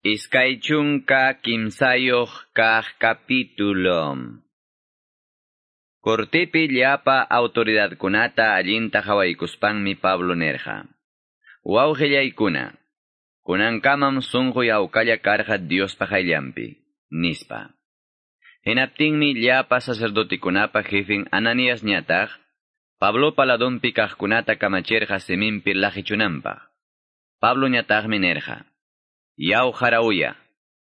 23 kaq capítulo. Cortepi llapa autoridadkunata allinta hawaykuspanmi Pablo nerja. Wawqillaykuna, kunankamam sunquy hawkalla karqa Diospa qayllanpi, nispa. Hinaptinmi llapa sacerdotikunapa jefin Ananías ñataq, Pablopa ladonpi kaqkunata kamachirqa siminpi laqichunanpaq. Pablo ñataqmi nerja. Yaw harauya,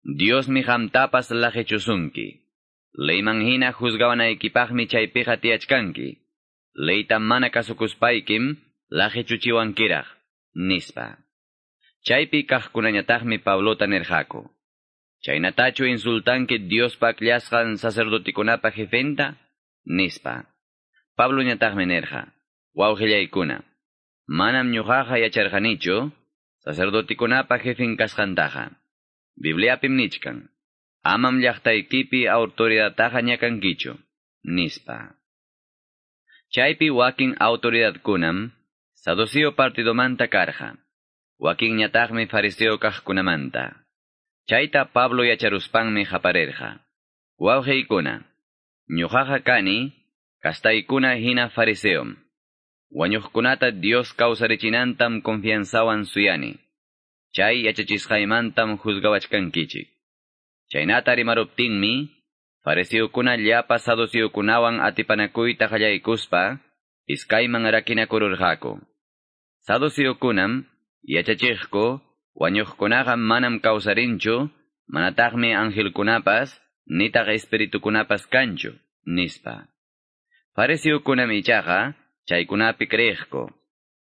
Diosmi qamtapas laqichusunki. Leyman hina juzgawanaykipaqmi chaypiqa tiyachkanki. Leyta mana kasukuspaykim laqichuchiwankiraq, nispa. Chaypi kaqkunañataqmi Pablota nirqaku. Chaynatachu insultanki Diospa akllasqan sacerdotikunapa jefenta? Nispa. Pablo ñataqmi nirqa. Wawqillaykuna, manam ñuqaqa yacharqanichu sacerdotikunapa jefin kasqantaqa. Bibliapim nichkan. Amam llaqtaykipi autoridadtaqa ñakankichu, nispa. Chaypi wakin autoridadkunam saduceo partidomanta karqa. Wakin ñataqmi fariseo kaqkunamanta. Chayta Pablo yacharuspanmi qaparirqa. Wawqiykuna, ñuqaqa kani, kastaykuna hina fariseom. Wañuqkunata Dios kawsarichinantam confianzawan suyani. Chay yachachisqaymantam juzgawachkankichik. Chaynata rimaruptinmi, fariseokuna llapa saduceokunawan atipanakuyta qallaykuspa, iskayman rakinakururqaku. Saduceokunam yachachiqku, wañuqkunaqa manam kawsarinchu, manataqmi angelkunapas, nitaq espiritukunapas kanchu, nispa. Fariseokunam ichaqa, chaykunapi creeqku.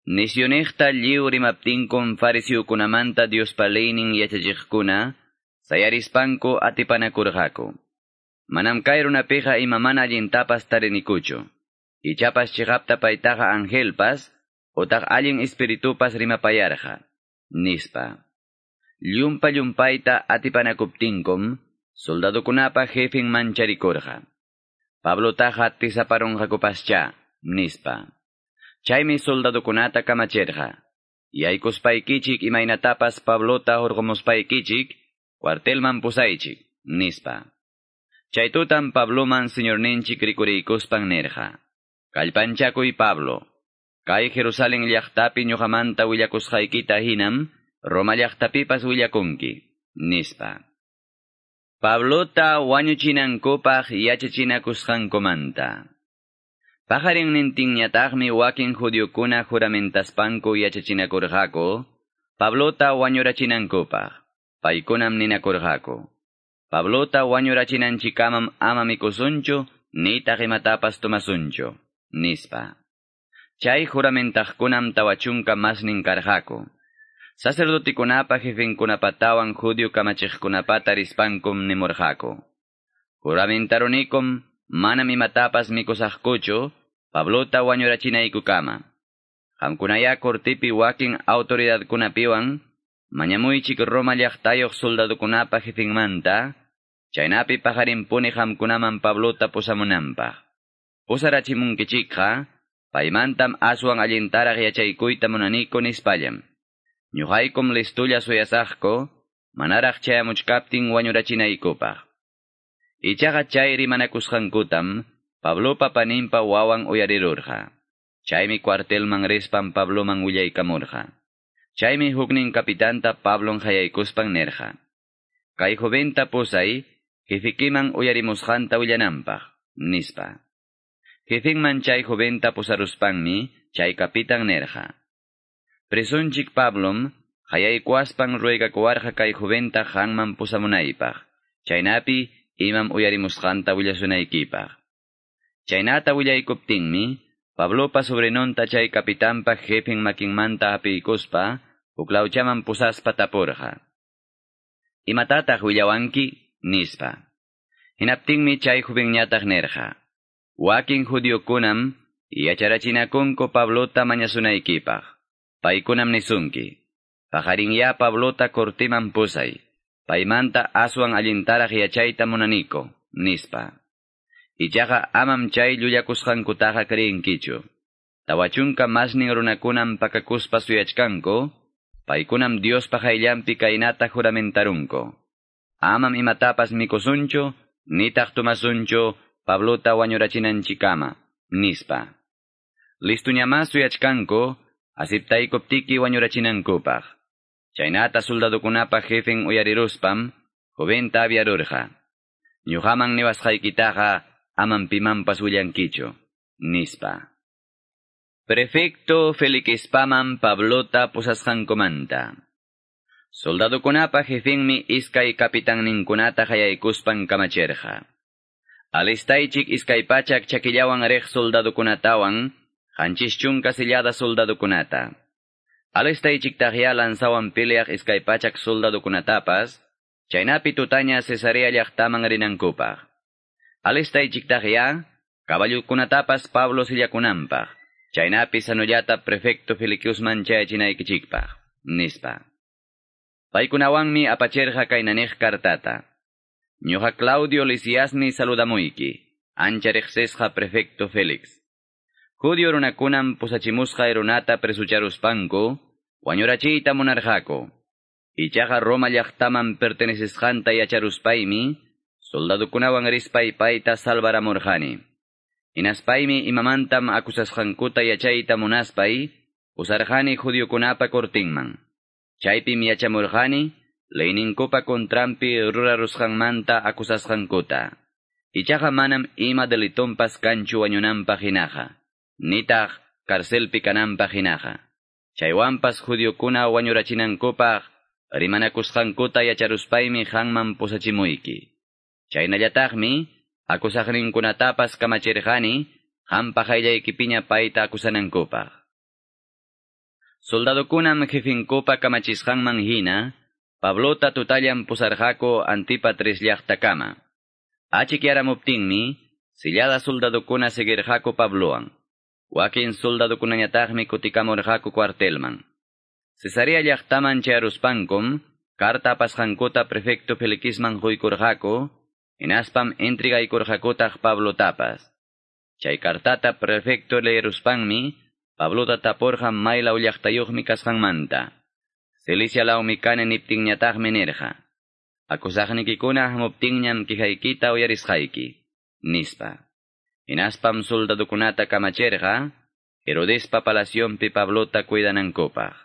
Nisyuniqta lliw rimaptinkum fariseokunamanta Diospa leynin yachachiqkuna, sayarispanku atipanakurqaku. Manam kay runapiqa ima mana allintapas tarinikuchu. Ichapas chiqapta paytaqa angelpas, otaq allin espiritupas rimapayarqa, nispa. Llumpa llumpayta atipanakuptinkum, soldadokunapa jefin mancharikurqa. Pablotaqa tisaparunqakupascha, nispa. Chaymi soldadokunata kamachirqa. Yaykuspaykichik imaynatapas Pablota hurqumuspaykichik, cuartelman pusaychik, nispa. Chay tutam Pabloman señorninchik rikuriykuspan nirqa. Kallpanchakuy Pablo. Kay Jerusalén llaqtapi ñuqamanta willakusqaykita hinam, Roma llaqtapipas willakunki, nispa. Pablota wañuchinankupaq yachachinakusqankumanta. Paqarinnintinñataqmi wakin judiokuna juramentaspanku yachachinakurqaku, Pablota wañurachinankupaq. Paykunam ninakurqaku. Pablota wañurachinanchikamam ama mikusunchu, nitaq imatapas tomasunchu, nispa. Chay juramentaqkunam 40 masnin karqaku. Sacerdotikunapa jefinkunapatawan judio kamachiqkunapata rispankum nimurqaku. Juramentarunikum manam imatapas mikusaqkuchu, Pablota wañurachinaykukama. Qamkunaya cortipi wakin autoridadkunapiwan, mañamuychik Roma llaqtayuq soldadokunapa jefinmanta, chaynapi paqarinpuni qamkunaman Pablota pusamunanpaq. Pusarachimunkichikqa, paymantam aswan allintaraq yachaykuyta munaniku nispallam. Ñuqaykum listulla suyasaqku, manaraq chayamuchkaptin wañurachinaykupaq. Ichaqa chay rimanakusqankutam, Pablopa paninpa wawan uyarirurqa. Chaymi cuartelman rispan Pabloman willaykamurqa. Chaymi huknin kapitanta Pablon hayaykuspan nirqa. Kay joventa pusay, jefikiman uyarimusqanta willananpaq, nispa. Jefinman chay joventa pusaruspanmi, chay kapitan nirqa. Presunchik Pablom, hayaykuaspan ruegakuwarqa kay joventa qanman pusamunaypaq. Chaynapi imam uyarimusqanta willasunaykipaq. Chaynata willaykuptinmi, Pablopa sobrinonta chay kapitanpa jefin makinmanta hapiykuspa, huklawchaman pusaspa tapurqa. Imatataq willawanki? Nispa. Hinaptinmi chay jovenñataq nirqa. Wakin judiokunam yacharachinakunku Pablota mañasunaykipaq. Paykunam nisunki. Paqarinya Pablota cortiman pusay. Paymanta aswan allintaraq yachayta munaniko, nispa. Ichaqa amam chay llullakusqankutaqa creenkichu. 40 masnin runakunam pakakuspa suyachkanku, Paykunam Diospa qayllanpi kaynata juramentarunku. Amam imatapas mikusunchu, nitaq tomasunchu, Pablota wañurachinanchikama, nispa. Listuñamá suyachkanku, asiptaykuptiki wañurachinankupaq. Chaynata soldadokunapa jefen uyariruspam, joventa aviarurqa. Ñuqaman niwasqaykitaqa amam pimanpas willankichu, nispa. Prefecto Felixpaman Pablota pusasqankumanta. Soldadokunapa jefenmi iskay kapitanninkunata qayaykuspan kamachirqa. Alistaychik iskay pachak chakillawan riq soldadokunatawan, 70 sillada soldadokunata. Alistaychiktaqya lanzawan peleaq 200 soldadokunatapas, chaynapi tutaña Cesarea llaqtaman rinankupaq. Alistaychiktaqya caballokunatapas Pablo sillakunanpaq, chaynapi sanollata prefecto Felixman chayachinaykichikpaq, nispa. Paykunawanmi apachirqa kaynaniq kartata. Ñuqa Claudio Lisiasmi saludamuyki, ancha riqsisqa prefecto Félix. Judio runakunam pusachimusqa runata presucharuspanku, wañurachiyta munarqaku. Ichaqa Roma llaqtaman pertenecisqanta yacharuspaymi, soldadukunawan rispay payta salvaramurqani. Hinaspaymi imamantam acusasqankuta yachayta munaspay, pusarqani judiokunapa cortinman. Chaypim yachamurqani, leyninkupa contranpi rurarusqanmanta acusasqankuta. Ichaqa manam ima delitonpas kanchu wañunanpaq hinaqa, nitaq carcelpi kananpaq hinaqa. Chaywanpas judiokuna wañurachinankupaq rimanakusqankuta yacharuspaymi qanman pusachimuyki. Chaynallataqmi acusaqninkunatapas kamachirqani qampa qayllaykipiña payta acusanankupaq. Soldadokunam jefinkupa kamachisqanman hina, Pablota tutallan pusarqaku Antipatris llaqtakama. Achikyaramuptinmi, sillada soldadokuna seguirqaku Pablowan. Wakin soldadokunañataqmi kutikamurqaku cuartelman. Cesarea llaqtaman chayaruspankum, carta apasqankuta prefecto Felixman quykurqaku, hinaspam entregaykurqakutaq Pablotapas. Chay cartata prefecto leeruspanmi, Pablota tapurqa maylaw llaqtayuqmi kasqanmanta. Cilicia lawmi kani niptinñataqmi nirqa. Acusaqnikikuna hamuptinñam quejaykita uyarisqayki, nispa. Hinaspam soldadokunata kamachirqa, Herodespa palacionpi Pablota cuidanankupaq.